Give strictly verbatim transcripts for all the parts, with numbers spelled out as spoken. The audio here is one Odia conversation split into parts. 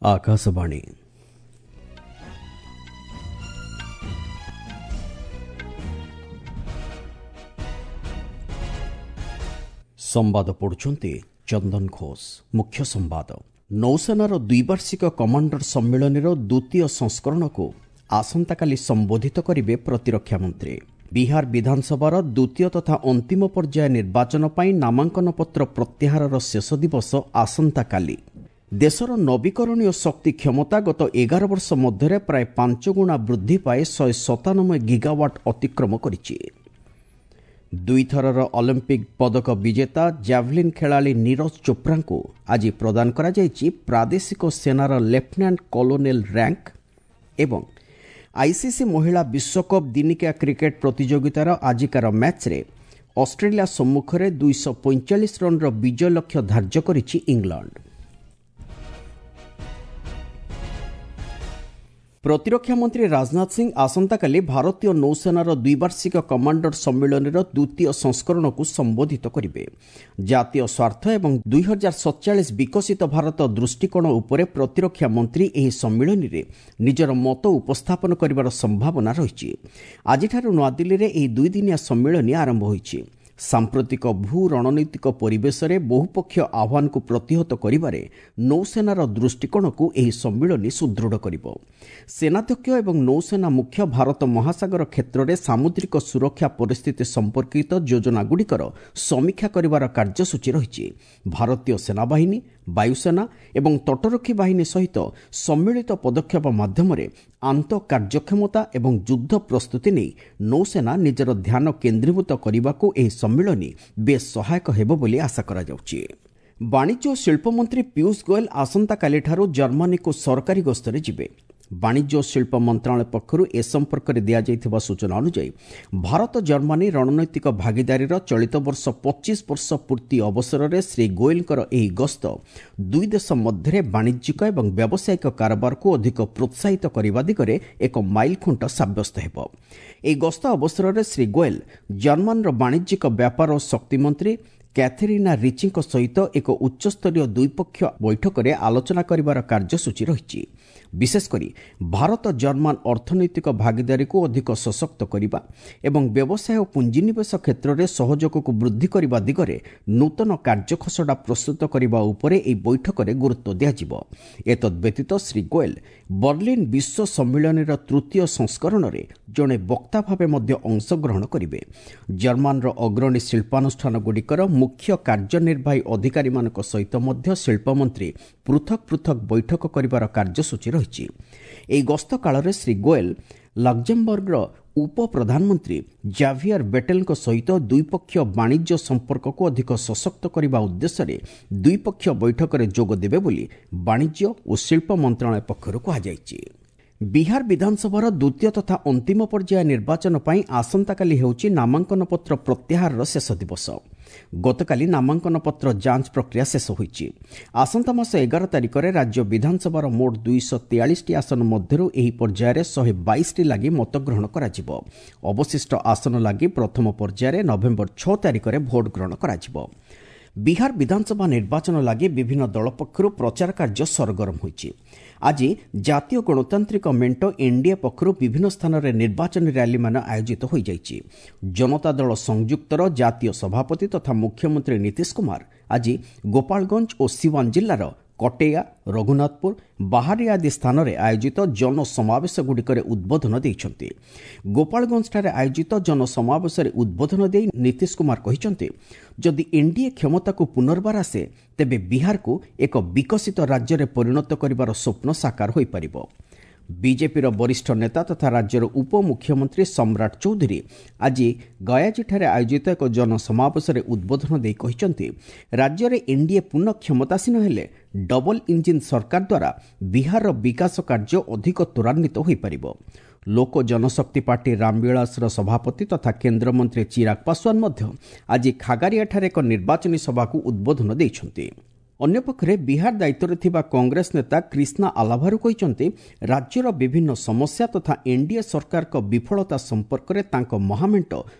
ଆକାଶବାଣୀ। ସମ୍ବାଦ ପଢୁଛନ୍ତି ଚନ୍ଦନ ଘୋଷ। ମୁଖ୍ୟ ସମ୍ବାଦ। ନୌସେନାର ଦ୍ୱିବାର୍ଷିକ କମାଣ୍ଡର ସମ୍ମିଳନୀର ଦ୍ୱିତୀୟ ସଂସ୍କରଣକୁ ଆସନ୍ତାକାଲି ସମ୍ବୋଧିତ କରିବେ ପ୍ରତିରକ୍ଷା ମନ୍ତ୍ରୀ। ବିହାର ବିଧାନସଭାର ଦ୍ୱିତୀୟ ତଥା ଅନ୍ତିମ ପର୍ଯ୍ୟାୟ ନିର୍ବାଚନ ପାଇଁ ନାମାଙ୍କନପତ୍ର ପ୍ରତ୍ୟାହାରର ଶେଷ ଦିବସ ଆସନ୍ତାକାଲି। ଦେଶର ନବୀକରଣୀୟ ଶକ୍ତି କ୍ଷମତା ଗତ ଏଗାର ବର୍ଷ ମଧ୍ୟରେ ପ୍ରାୟ ପାଞ୍ଚ ଗୁଣା ବୃଦ୍ଧି ପାଇ ଶହେ ସତାନବେ ଗିଗାୱାଟ୍ ଅତିକ୍ରମ କରିଛି। ଦୁଇଥରର ଅଲିମ୍ପିକ୍ ପଦକ ବିଜେତା ଜାଭଲିନ୍ ଖେଳାଳି ନୀରଜ ଚୋପ୍ରାଙ୍କୁ ଆଜି ପ୍ରଦାନ କରାଯାଇଛି ପ୍ରାଦେଶିକ ସେନାର ଲେଫ୍ଟନାଣ୍ଟ କଲୋନେଲ ର୍ୟାଙ୍କ। ଏବଂ ଆଇସିସି ମହିଳା ବିଶ୍ୱକପ୍ ଦିନିକିଆ କ୍ରିକେଟ୍ ପ୍ରତିଯୋଗିତାର ଆଜିକାର ମ୍ୟାଚ୍ରେ ଅଷ୍ଟ୍ରେଲିଆ ସମ୍ମୁଖରେ ଦୁଇଶହ ପଇଁଚାଳିଶ ରନ୍ର ବିଜୟ ଲକ୍ଷ୍ୟ ଧାର୍ଯ୍ୟ କରିଛି ଇଂଲଣ୍ଡ। ପ୍ରତିରକ୍ଷା ମନ୍ତ୍ରୀ ରାଜନାଥ ସିଂ ଆସନ୍ତାକାଲି ଭାରତୀୟ ନୌସେନାର ଦ୍ୱିବାର୍ଷିକ କମାଣ୍ଡର ସମ୍ମିଳନୀର ଦ୍ୱିତୀୟ ସଂସ୍କରଣକୁ ସମ୍ବୋଧିତ କରିବେ। ଜାତୀୟ ସ୍ୱାର୍ଥ ଏବଂ ଦୁଇ ହଜାର ସତଚାଳିଶ ବିକଶିତ ଭାରତ ଦୃଷ୍ଟିକୋଣ ଉପରେ ପ୍ରତିରକ୍ଷା ମନ୍ତ୍ରୀ ଏହି ସମ୍ମିଳନୀରେ ନିଜର ମତ ଉପସ୍ଥାପନ କରିବାର ସମ୍ଭାବନା ରହିଛି। ଆଜିଠାରୁ ନୂଆଦିଲ୍ଲୀରେ ଏହି ଦୁଇଦିନିଆ ସମ୍ମିଳନୀ ଆରମ୍ଭ ହୋଇଛି। ସାମ୍ପ୍ରତିକ ଭୂ ରଣନୈତିକ ପରିବେଶରେ ବହୁପକ୍ଷୀୟ ଆହ୍ୱାନକୁ ପ୍ରତିହତ କରିବାରେ ନୌସେନାର ଦୃଷ୍ଟିକୋଣକୁ ଏହି ସମ୍ମିଳନୀ ସୁଦୃଢ଼ କରିବ। ସେନାଧ୍ୟକ୍ଷ ଏବଂ ନୌସେନା ମୁଖ୍ୟ ଭାରତ ମହାସାଗର କ୍ଷେତ୍ରରେ ସାମୁଦ୍ରିକ ସୁରକ୍ଷା ପରିସ୍ଥିତି ସମ୍ପର୍କିତ ଯୋଜନାଗୁଡ଼ିକର ସମୀକ୍ଷା କରିବାର କାର୍ଯ୍ୟସୂଚୀ ରହିଛି। ଭାରତୀୟ ସେନାବାହିନୀ, ବାୟୁସେନା ଏବଂ ତଟରକ୍ଷୀ ବାହିନୀ ସହିତ ସମ୍ମିଳିତ ପଦକ୍ଷେପ ମାଧ୍ୟମରେ ଆନ୍ତଃ କାର୍ଯ୍ୟକ୍ଷମତା ଏବଂ ଯୁଦ୍ଧ ପ୍ରସ୍ତୁତି ନେଇ ନୌସେନା ନିଜର ଧ୍ୟାନ କେନ୍ଦ୍ରୀଭୂତ କରିବାକୁ ଏହି ସମ୍ମିଳନୀ ବେଶ୍ ସହାୟକ ହେବ ବୋଲି ଆଶା କରାଯାଉଛି। ବାଣିଜ୍ୟ ଓ ଶିଳ୍ପମନ୍ତ୍ରୀ ପୀୟୁଷ ଗୋଏଲ ଆସନ୍ତାକାଲିଠାରୁ ଜର୍ମାନୀକୁ ସରକାରୀ ଗସ୍ତରେ ଯିବେ। ବାଣିଜ୍ୟ ଓ ଶିଳ୍ପ ମନ୍ତ୍ରଣାଳୟ ପକ୍ଷରୁ ଏ ସମ୍ପର୍କରେ ଦିଆଯାଇଥିବା ସୂଚନା ଅନୁଯାୟୀ ଭାରତ ଜର୍ମାନୀ ରଣନୈତିକ ଭାଗିଦାରୀର ଚଳିତ ବର୍ଷ ପଚିଶ ବର୍ଷ ପୂର୍ତ୍ତି ଅବସରରେ ଶ୍ରୀ ଗୋଏଲଙ୍କର ଏହି ଗସ୍ତ ଦୁଇ ଦେଶ ମଧ୍ୟରେ ବାଣିଜ୍ୟିକ ଏବଂ ବ୍ୟବସାୟିକ କାରବାରକୁ ଅଧିକ ପ୍ରୋତ୍ସାହିତ କରିବା ଦିଗରେ ଏକ ମାଇଲଖୁଣ୍ଟ ସାବ୍ୟସ୍ତ ହେବ। ଏହି ଗସ୍ତ ଅବସରରେ ଶ୍ରୀ ଗୋଏଲ ଜର୍ମାନର ବାଣିଜ୍ୟିକ ବ୍ୟାପାର ଓ ଶକ୍ତିମନ୍ତ୍ରୀ କ୍ୟାଥେରିନା ରିଚିଙ୍କ ସହିତ ଏକ ଉଚ୍ଚସ୍ତରୀୟ ଦ୍ୱିପକ୍ଷୀୟ ବୈଠକରେ ଆଲୋଚନା କରିବାର କାର୍ଯ୍ୟସୂଚୀ ରହିଛି। ବିଶେଷକରି ଭାରତ ଜର୍ମାନ ଅର୍ଥନୈତିକ ଭାଗିଦାରୀକୁ ଅଧିକ ସଶକ୍ତ କରିବା ଏବଂ ବ୍ୟବସାୟ ଓ ପୁଞ୍ଜିନିବେଶ କ୍ଷେତ୍ରରେ ସହଯୋଗକୁ ବୃଦ୍ଧି କରିବା ଦିଗରେ ନୂତନ କାର୍ଯ୍ୟଖସଡ଼ା ପ୍ରସ୍ତୁତ କରିବା ଉପରେ ଏହି ବୈଠକରେ ଗୁରୁତ୍ୱ ଦିଆଯିବ। ଏତଦ୍ବ୍ୟତୀତ ଶ୍ରୀ ଗୋଏଲ ବର୍ଲିନ୍ ବିଶ୍ୱ ସମ୍ମିଳନୀର ତୃତୀୟ ସଂସ୍କରଣରେ ଜଣେ ବକ୍ତା ଭାବେ ମଧ୍ୟ ଅଂଶଗ୍ରହଣ କରିବେ। ଜର୍ମାନର ଅଗ୍ରଣୀ ଶିଳ୍ପାନୁଷ୍ଠାନଗୁଡ଼ିକର ମୁଖ୍ୟ କାର୍ଯ୍ୟନିର୍ବାହୀ ଅଧିକାରୀମାନଙ୍କ ସହିତ ମଧ୍ୟ ଶିଳ୍ପମନ୍ତ୍ରୀ ପୃଥକ ପୃଥକ ବୈଠକ କରିବାର କାର୍ଯ୍ୟସୂଚୀ ରହିଛି। ଏହି ଗସ୍ତ କାଳରେ ଶ୍ରୀ ଗୋଏଲ ଲକ୍ଜେମବର୍ଗର ଉପ ପ୍ରଧାନମନ୍ତ୍ରୀ ଜାଭିୟର ବେଟେଲଙ୍କ ସହିତ ଦ୍ୱିପକ୍ଷୀୟ ବାଣିଜ୍ୟ ସମ୍ପର୍କକୁ ଅଧିକ ସଶକ୍ତ କରିବା ଉଦ୍ଦେଶ୍ୟରେ ଦ୍ୱିପକ୍ଷୀୟ ବୈଠକରେ ଯୋଗ ଦେବେ ବୋଲି ବାଣିଜ୍ୟ ଓ ଶିଳ୍ପ ମନ୍ତ୍ରଣାଳୟ ପକ୍ଷରୁ କୁହାଯାଇଛି। ବିହାର ବିଧାନସଭାର ଦ୍ୱିତୀୟ ତଥା ଅନ୍ତିମ ପର୍ଯ୍ୟାୟ ନିର୍ବାଚନ ପାଇଁ ଆସନ୍ତାକାଲି ହେଉଛି ନାମାଙ୍କନପତ୍ର ପ୍ରତ୍ୟାହାରର ଶେଷ ଦିବସ। ଗତକାଲି ନାମାଙ୍କନପତ୍ର ଯାଞ୍ଚ ପ୍ରକ୍ରିୟା ଶେଷ ହୋଇଛି। ଆସନ୍ତା ମାସ ଏଗାର ତାରିଖରେ ରାଜ୍ୟ ବିଧାନସଭାର ମୋଟ ଦୁଇଶହ ତେୟାଳିଶଟି ଆସନ ମଧ୍ୟରୁ ଏହି ପର୍ଯ୍ୟାୟରେ ଶହେ ବାଇଶଟି ଲାଗି ମତଗ୍ରହଣ କରାଯିବ। ଅବଶିଷ୍ଟ ଆସନ ଲାଗି ପ୍ରଥମ ପର୍ଯ୍ୟାୟରେ ନଭେମ୍ବର ଛଅ ତାରିଖରେ ଭୋଟ ଗ୍ରହଣ କରାଯିବ। ବିହାର ବିଧାନସଭା ନିର୍ବାଚନ ଲାଗି ବିଭିନ୍ନ ଦଳ ପକ୍ଷରୁ ପ୍ରଚାର କାର୍ଯ୍ୟ ସରଗରମ ହୋଇଛି। ଆଜି ଜାତୀୟ ଗଣତାନ୍ତ୍ରିକ ମେଣ୍ଟ ଏନ୍ଡିଏ ପକ୍ଷରୁ ବିଭିନ୍ନ ସ୍ଥାନରେ ନିର୍ବାଚନୀ ର୍ୟାଲିମାନ ଆୟୋଜିତ ହୋଇଯାଇଛି। ଜନତା ଦଳ ସଂଯୁକ୍ତର ଜାତୀୟ ସଭାପତି ତଥା ମୁଖ୍ୟମନ୍ତ୍ରୀ ନୀତିଶ କୁମାର ଆଜି ଗୋପାଳଗଞ୍ଜ ଓ ସିୱାନ ଜିଲ୍ଲାର କଟେୟା, ରଘୁନାଥପୁର, ବାହାରିଆ ଆଦି ସ୍ଥାନରେ ଆୟୋଜିତ ଜନସମାବେଶଗୁଡ଼ିକରେ ଉଦ୍ବୋଧନ ଦେଇଛନ୍ତି। ଗୋପାଳଗଞ୍ଜଠାରେ ଆୟୋଜିତ ଜନସମାବେଶରେ ଉଦ୍ବୋଧନ ଦେଇ ନୀତିଶ କୁମାର କହିଛନ୍ତି, ଯଦି ଏନ୍ଡିଏ କ୍ଷମତାକୁ ପୁନର୍ବାର ଆସେ ତେବେ ବିହାରକୁ ଏକ ବିକଶିତ ରାଜ୍ୟରେ ପରିଣତ କରିବାର ସ୍ୱପ୍ନ ସାକାର ହୋଇପାରିବ। ବିଜେପିର ବରିଷ୍ଠ ନେତା ତଥା ରାଜ୍ୟର ଉପମୁଖ୍ୟମନ୍ତ୍ରୀ ସମ୍ରାଟ ଚୌଧୁରୀ ଆଜି ଗୟାଜୀଠାରେ ଆୟୋଜିତ ଏକ ଜନସମାବେଶରେ ଉଦ୍ବୋଧନ ଦେଇ କହିଛନ୍ତି, ରାଜ୍ୟରେ ଏନ୍ଡିଏ ପୁନଃ କ୍ଷମତାସୀନ ହେଲେ ଡବଲ ଇଞ୍ଜିନ୍ ସରକାର ଦ୍ୱାରା ବିହାରର ବିକାଶ କାର୍ଯ୍ୟ ଅଧିକ ତ୍ୱରାନ୍ୱିତ ହୋଇପାରିବ। ଲୋକ ଜନଶକ୍ତି ପାର୍ଟି ରାମବିଳାସର ସଭାପତି ତଥା କେନ୍ଦ୍ରମନ୍ତ୍ରୀ ଚିରାଗ ପାଶୱାନ ମଧ୍ୟ ଆଜି ଖାଗାରିଆଠାରେ ଏକ ନିର୍ବାଚନୀ ସଭାକୁ ଉଦ୍ବୋଧନ ଦେଇଛନ୍ତି। ଅନ୍ୟପକ୍ଷରେ ବିହାର ଦାୟିତ୍ୱରେ ଥିବା କଂଗ୍ରେସ ନେତା କ୍ରିଷ୍ଣା ଆଲାଭାରୁ କହିଛନ୍ତି, ରାଜ୍ୟର ବିଭିନ୍ନ ସମସ୍ୟା ତଥା ଏନ୍ଡିଏ ସରକାରଙ୍କ ବିଫଳତା ସମ୍ପର୍କରେ ତାଙ୍କ ମହାମେଣ୍ଟ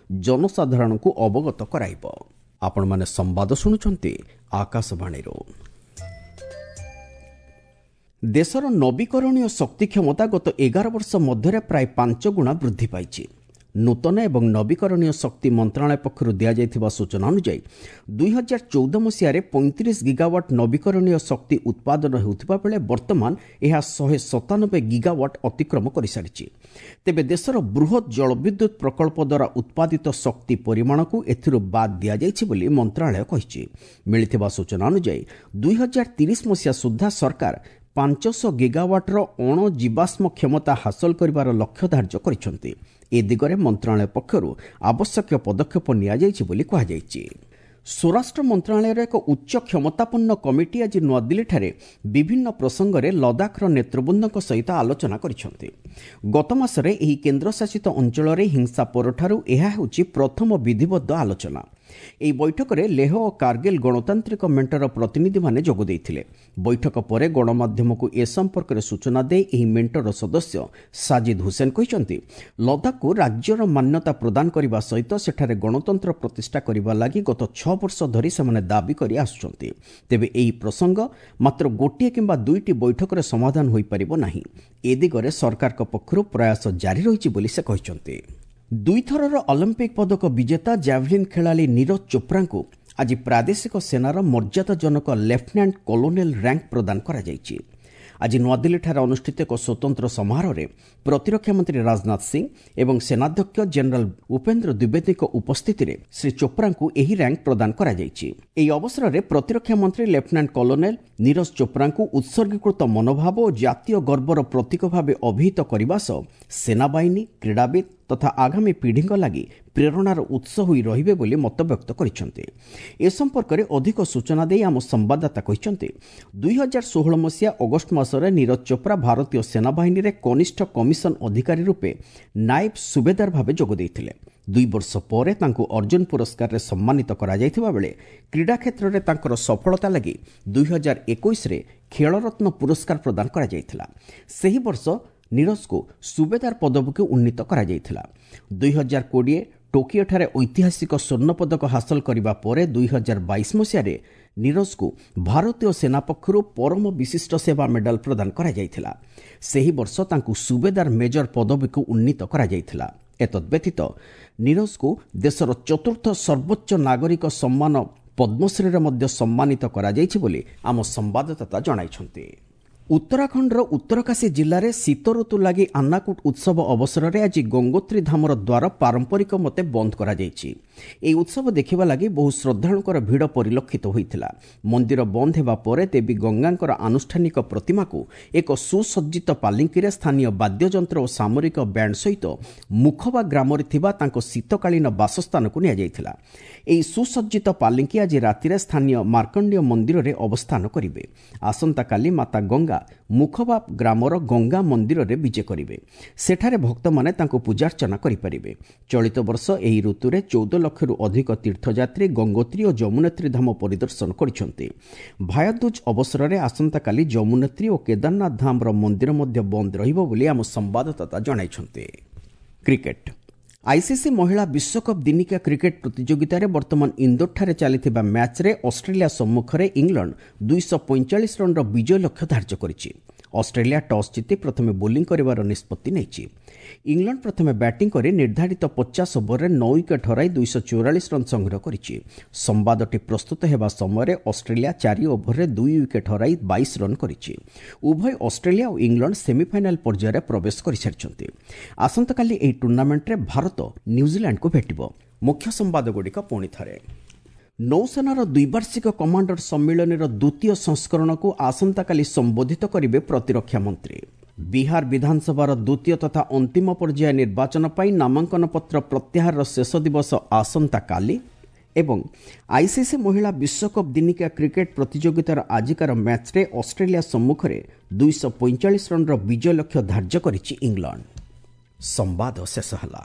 ଜନସାଧାରଣଙ୍କୁ ଅବଗତ କରାଇବ। ଆପଣମାନେ ସମ୍ବାଦ ଶୁଣୁଛନ୍ତି ଆକାଶବାଣୀରୁ। ଦେଶର ନବୀକରଣୀୟ ଶକ୍ତି କ୍ଷମତା ଗତ ଏଗାର ବର୍ଷ ମଧ୍ୟରେ ପ୍ରାୟ ପାଞ୍ଚ ଗୁଣା ବୃଦ୍ଧି ପାଇଛି। ନୂତନ ଏବଂ ନବୀକରଣୀୟ ଶକ୍ତି ମନ୍ତ୍ରଣାଳୟ ପକ୍ଷରୁ ଦିଆଯାଇଥିବା ସୂଚନା ଅନୁଯାୟୀ ଦୁଇହଜାର ଚଉଦ ମସିହାରେ ପଇଁତିରିଶ ଗିଗାୱାଟ୍ ନବୀକରଣୀୟ ଶକ୍ତି ଉତ୍ପାଦନ ହେଉଥିବା ବେଳେ ବର୍ତ୍ତମାନ ଏହା ଶହେ ସତାନବେ ଗିଗାୱାଟ୍ ଅତିକ୍ରମ କରିସାରିଛି। ତେବେ ଦେଶର ବୃହତ୍ ଜଳବିଦ୍ୟୁତ୍ ପ୍ରକଳ୍ପ ଦ୍ୱାରା ଉତ୍ପାଦିତ ଶକ୍ତି ପରିମାଣକୁ ଏଥିରୁ ବାଦ୍ ଦିଆଯାଇଛି ବୋଲି ମନ୍ତ୍ରଣାଳୟ କହିଛି। ମିଳିଥିବା ସୂଚନା ଅନୁଯାୟୀ ଦୁଇହଜାର ତିରିଶ ମସିହା ସୁଦ୍ଧା ସରକାର ପାଞ୍ଚଶହ ଗିଗାୱାଟ୍ର ଅଣଜୀବାଶ୍ମ କ୍ଷମତା ହାସଲ କରିବାର ଲକ୍ଷ୍ୟ ଧାର୍ଯ୍ୟ କରିଛନ୍ତି। ଏ ଦିଗରେ ମନ୍ତ୍ରଣାଳୟ ପକ୍ଷରୁ ଆବଶ୍ୟକୀୟ ପଦକ୍ଷେପ ନିଆଯାଇଛି ବୋଲି କୁହାଯାଇଛି। ସ୍ୱରାଷ୍ଟ୍ର ମନ୍ତ୍ରଣାଳୟର ଏକ ଉଚ୍ଚ କ୍ଷମତାପନ୍ନ କମିଟି ଆଜି ନୂଆଦିଲ୍ଲୀଠାରେ ବିଭିନ୍ନ ପ୍ରସଙ୍ଗରେ ଲଦାଖର ନେତୃବୃନ୍ଦଙ୍କ ସହିତ ଆଲୋଚନା କରିଛନ୍ତି। ଗତ ମାସରେ ଏହି କେନ୍ଦ୍ରଶାସିତ ଅଞ୍ଚଳରେ ହିଂସା ପରଠାରୁ ଏହା ହେଉଛି ପ୍ରଥମ ବିଧିବଦ୍ଧ ଆଲୋଚନା। ଏହି ବୈଠକରେ ଲେହ ଓ କାର୍ଗିଲ ଗଣତାନ୍ତ୍ରିକ ମେଣ୍ଟର ପ୍ରତିନିଧିମାନେ ଯୋଗ ଦେଇଥିଲେ। ବୈଠକ ପରେ ଗଣମାଧ୍ୟମକୁ ଏ ସମ୍ପର୍କରେ ସୂଚନା ଦେଇ ଏହି ମେଣ୍ଟର ସଦସ୍ୟ ସାଜିଦ ହୁସେନ କହିଛନ୍ତି, ଲଦାଖକୁ ରାଜ୍ୟର ମାନ୍ୟତା ପ୍ରଦାନ କରିବା ସହିତ ସେଠାରେ ଗଣତନ୍ତ୍ର ପ୍ରତିଷ୍ଠା କରିବା ଲାଗି ଗତ ଛଅ ବର୍ଷ ଧରି ସେମାନେ ଦାବି କରି ଆସୁଛନ୍ତି। ତେବେ ଏହି ପ୍ରସଙ୍ଗ ମାତ୍ର ଗୋଟିଏ କିମ୍ବା ଦୁଇଟି ବୈଠକରେ ସମାଧାନ ହୋଇପାରିବ ନାହିଁ। ଏ ଦିଗରେ ସରକାରଙ୍କ ପକ୍ଷରୁ ପ୍ରୟାସ ଜାରି ରହିଛି ବୋଲି ସେ କହିଛନ୍ତି। ଦୁଇଥରର ଅଲିମ୍ପିକ୍ ପଦକ ବିଜେତା ଜାଭଲିନ୍ ଖେଳାଳି ନୀରଜ ଚୋପ୍ରାଙ୍କୁ ଆଜି ପ୍ରାଦେଶିକ ସେନାର ମର୍ଯ୍ୟାଦାଜନକ ଲେଫ୍ଟନାଣ୍ଟ କଲୋନେଲ ର୍ୟାଙ୍କ ପ୍ରଦାନ କରାଯାଇଛି। ଆଜି ନୂଆଦିଲ୍ଲୀଠାରେ ଅନୁଷ୍ଠିତ ଏକ ସ୍ୱତନ୍ତ୍ର ସମାରୋହରେ ପ୍ରତିରକ୍ଷା ମନ୍ତ୍ରୀ ରାଜନାଥ ସିଂ ଏବଂ ସେନାଧ୍ୟକ୍ଷ ଜେନେରାଲ ଉପେନ୍ଦ୍ର ଦ୍ୱିବେଦୀଙ୍କ ଉପସ୍ଥିତିରେ ଶ୍ରୀ ଚୋପ୍ରାଙ୍କୁ ଏହି ର୍ୟାଙ୍କ ପ୍ରଦାନ କରାଯାଇଛି। ଏହି ଅବସରରେ ପ୍ରତିରକ୍ଷା ମନ୍ତ୍ରୀ ଲେଫ୍ଟନାଣ୍ଟ କଲୋନେଲ ନୀରଜ ଚୋପ୍ରାଙ୍କୁ ଉତ୍ସର୍ଗୀକୃତ ମନୋଭାବ ଓ ଜାତୀୟ ଗର୍ବର ପ୍ରତୀକ ଭାବେ ଅଭିହିତ କରିବା ସହ ସେନାବାହିନୀ, କ୍ରୀଡ଼ାବିତ୍ ତଥା ଆଗାମୀ ପିଢ଼ିଙ୍କ ଲାଗି ପ୍ରେରଣାର ଉତ୍ସ ହୋଇ ରହିବେ ବୋଲି ମତବ୍ୟକ୍ତ କରିଛନ୍ତି। ଏ ସମ୍ପର୍କରେ ଅଧିକ ସୂଚନା ଦେଇ ଆମ ସମ୍ବାଦଦାତା କହିଛନ୍ତି, ଦୁଇହଜାର ଷୋହଳ ମସିହା ଅଗଷ୍ଟ ମାସରେ ନୀରଜ ଚୋପ୍ରା ଭାରତୀୟ ସେନାବାହିନୀରେ କନିଷ୍ଠ କମିଶନ ଅଧିକାରୀ ରୂପେ ନାଏବ ସୁବେଦାର ଭାବେ ଯୋଗ ଦେଇଥିଲେ। ଦୁଇ ବର୍ଷ ପରେ ତାଙ୍କୁ ଅର୍ଜୁନ ପୁରସ୍କାରରେ ସମ୍ମାନିତ କରାଯାଇଥିବା ବେଳେ କ୍ରୀଡ଼ା କ୍ଷେତ୍ରରେ ତାଙ୍କର ସଫଳତା ଲାଗି ଦୁଇହଜାର ଏକୋଇଶରେ ଖେଳରତ୍ନ ପୁରସ୍କାର ପ୍ରଦାନ କରାଯାଇଥିଲା। ସେହି ବର୍ଷ ନୀରଜକୁ ସୁବେଦାର ପଦବୀକୁ ଉନ୍ନୀତ କରାଯାଇଥିଲା। ଦୁଇହଜାର କୋଡ଼ିଏ ଟୋକିଓଠାରେ ଐତିହାସିକ ସ୍ୱର୍ଣ୍ଣପଦକ ହାସଲ କରିବା ପରେ ଦୁଇହଜାର ବାଇଶ ମସିହାରେ ନୀରଜକୁ ଭାରତୀୟ ସେନା ପକ୍ଷରୁ ପରମ ବିଶିଷ୍ଟ ସେବା ମେଡାଲ ପ୍ରଦାନ କରାଯାଇଥିଲା। ସେହି ବର୍ଷ ତାଙ୍କୁ ସୁବେଦାର ମେଜର ପଦବୀକୁ ଉନ୍ନୀତ କରାଯାଇଥିଲା। ଏତଦ୍ବ୍ୟତୀତ ନୀରଜକୁ ଦେଶର ଚତୁର୍ଥ ସର୍ବୋଚ୍ଚ ନାଗରିକ ସମ୍ମାନ ପଦ୍ମଶ୍ରୀରେ ମଧ୍ୟ ସମ୍ମାନିତ କରାଯାଇଛି ବୋଲି ଆମ ସମ୍ବାଦଦାତା ଜଣାଇଛନ୍ତି। ଉତ୍ତରାଖଣ୍ଡର ଉତ୍ତରକାଶୀ ଜିଲ୍ଲାରେ ଶୀତ ଋତୁ ଲାଗି ଆନ୍ନାକୁଟ ଉତ୍ସବ ଅବସରରେ ଆଜି ଗଙ୍ଗୋତ୍ରୀ ଧାମର ଦ୍ୱାର ପାରମ୍ପରିକ ମତେ ବନ୍ଦ କରାଯାଇଛି। ଏହି ଉତ୍ସବ ଦେଖିବା ଲାଗି ବହୁ ଶ୍ରଦ୍ଧାଳୁଙ୍କର ଭିଡ଼ ପରିଲକ୍ଷିତ ହୋଇଥିଲା। ମନ୍ଦିର ବନ୍ଦ ହେବା ପରେ ଦେବୀ ଗଙ୍ଗାଙ୍କର ଆନୁଷ୍ଠାନିକ ପ୍ରତିମାକୁ ଏକ ସୁସଜ୍ଜିତ ପାଲିଙ୍କିରେ ସ୍ଥାନୀୟ ବାଦ୍ୟଯନ୍ତ୍ର ଓ ସାମରିକ ବ୍ୟାଣ୍ଡ ସହିତ ମୁଖବା ଗ୍ରାମରେ ଥିବା ତାଙ୍କ ଶୀତକାଳୀନ ବାସସ୍ଥାନକୁ ନିଆଯାଇଥିଲା। ଏହି ସୁସଜ୍ଜିତ ପାଲିଙ୍କି ଆଜି ରାତିରେ ସ୍ଥାନୀୟ ମାର୍କଣ୍ଡେୟ ମନ୍ଦିରରେ ଅବସ୍ଥାନ କରିବେ। ଆସନ୍ତାକାଲି ମାତା ଗଙ୍ଗା ମୁଖବା ଗ୍ରାମର ଗଙ୍ଗା ମନ୍ଦିରରେ ବିଜେ କରିବେ। ସେଠାରେ ଭକ୍ତମାନେ ତାଙ୍କୁ ପୂଜାର୍ଚ୍ଚନା କରିପାରିବେ। ଚଳିତ ବର୍ଷ ଏହି ଋତୁରେ ଚଉଦ ଲକ୍ଷରୁ ଅଧିକ ତୀର୍ଥଯାତ୍ରୀ ଗଙ୍ଗୋତ୍ରୀ ଓ ଯମୁନେତ୍ରୀ ଧାମ ପରିଦର୍ଶନ କରିଛନ୍ତି। ଭାୟାଦୁଜ ଅବସରରେ ଆସନ୍ତାକାଲି ଯମୁନେତ୍ରୀ ଓ କେଦାରନାଥ ଧାମର ମନ୍ଦିର ମଧ୍ୟ ବନ୍ଦ ରହିବ ବୋଲି ଆମ ସମ୍ବାଦଦାତା ଜଣାଇଛନ୍ତି। କ୍ରିକେଟ ଆଇସିସି ମହିଳା ବିଶ୍ୱକପ୍ ଦିନିକିଆ କ୍ରିକେଟ ପ୍ରତିଯୋଗିତାରେ ବର୍ତ୍ତମାନ ଇନ୍ଦୋରଠାରେ ଚାଲିଥିବା ମ୍ୟାଚ୍ରେ ଅଷ୍ଟ୍ରେଲିଆ ସମ୍ମୁଖରେ ଇଂଲଣ୍ଡ ଦୁଇଶହ ପଇଁଚାଳିଶ ରନ୍ର ବିଜୟ ଲକ୍ଷ୍ୟ ଧାର୍ଯ୍ୟ କରିଛି। ଅଷ୍ଟ୍ରେଲିଆ ଟସ୍ ଜିତି ପ୍ରଥମେ ବୋଲିଂ କରିବାର ନିଷ୍ପତ୍ତି ନେଇଛି। ଇଂଲଣ୍ଡ ପ୍ରଥମେ ବ୍ୟାଟିଂ କରି ନିର୍ଦ୍ଧାରିତ ପଚାଶ ଓଭରରେ ନଅ ୱିକେଟ୍ ହରାଇ ଦୁଇଶହ ଚଉରାଳିଶ ରନ୍ ସଂଗ୍ରହ କରିଛି। ସମ୍ବାଦଟି ପ୍ରସ୍ତୁତ ହେବା ସମୟରେ ଅଷ୍ଟ୍ରେଲିଆ ଚାରି ଓଭରରେ ଦୁଇ ୱିକେଟ୍ ହରାଇ ବାଇଶ ରନ୍ କରିଛି। ଉଭୟ ଅଷ୍ଟ୍ରେଲିଆ ଓ ଇଂଲଣ୍ଡ ସେମିଫାଇନାଲ ପର୍ଯ୍ୟାୟରେ ପ୍ରବେଶ କରିସାରିଛନ୍ତି। ଆସନ୍ତାକାଲି ଏହି ଟୁର୍ଣ୍ଣାମେଣ୍ଟରେ ଭାରତ ନ୍ୟୁଜିଲାଣ୍ଡକୁ ଭେଟିବ। ମୁଖ୍ୟ ସମ୍ବାଦଗୁଡ଼ିକ ପୁଣି ଥରେ। ନୌସେନାର ଦ୍ୱିବାର୍ଷିକ କମାଣ୍ଡର ସମ୍ମିଳନୀର ଦ୍ୱିତୀୟ ସଂସ୍କରଣକୁ ଆସନ୍ତାକାଲି ସମ୍ବୋଧିତ କରିବେ ପ୍ରତିରକ୍ଷା ମନ୍ତ୍ରୀ। ବିହାର ବିଧାନସଭାର ଦ୍ୱିତୀୟ ତଥା ଅନ୍ତିମ ପର୍ଯ୍ୟାୟ ନିର୍ବାଚନ ପାଇଁ ନାମାଙ୍କନ ପତ୍ର ପ୍ରତ୍ୟାହାରର ଶେଷ ଦିବସ ଆସନ୍ତାକାଲି। ଏବଂ ଆଇସିସି ମହିଳା ବିଶ୍ୱକପ୍ ଦିନିକିଆ କ୍ରିକେଟ ପ୍ରତିଯୋଗିତାର ଆଜିକାର ମ୍ୟାଚ୍ରେ ଅଷ୍ଟ୍ରେଲିଆ ସମ୍ମୁଖରେ ଦୁଇଶହ ପଇଁଚାଳିଶ ରନ୍ର ବିଜୟ ଲକ୍ଷ୍ୟ ଧାର୍ଯ୍ୟ କରିଛି ଇଂଲଣ୍ଡ। ସମ୍ବାଦ ଶେଷ ହେଲା।